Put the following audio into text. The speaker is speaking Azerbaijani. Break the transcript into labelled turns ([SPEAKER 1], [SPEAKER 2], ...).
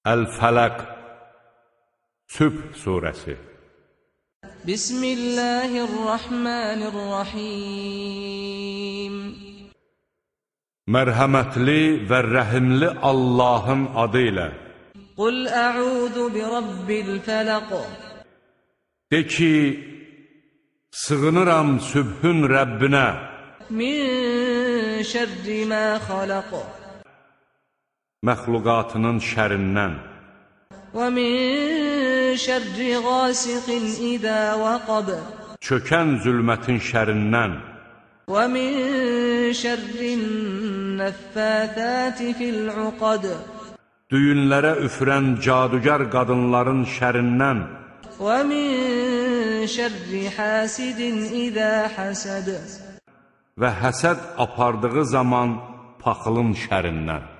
[SPEAKER 1] Əl-Fələq Sübh surəsi.
[SPEAKER 2] Bismillahirrahmanirrahim.
[SPEAKER 1] Mərhəmətli və rəhimli Allahın adı ilə.
[SPEAKER 2] Qul ə'udhu bi rabbil fələq.
[SPEAKER 1] De ki, sığınıram sübhün Rəbbinə.
[SPEAKER 2] Min şərri mə xaləq.
[SPEAKER 1] Məxluqatının şərindən.
[SPEAKER 2] Və min şərri qasiqin idə vəqab.
[SPEAKER 1] Çökən zülmətin şərindən.
[SPEAKER 2] Və min şərrin nəffəthəti fil-uqad.
[SPEAKER 1] Düyünlərə üfürən cadugar qadınların şərindən.
[SPEAKER 2] Və min şərri hasidin idə həsəd.
[SPEAKER 1] Və həsəd apardığı zaman paxılın şərindən.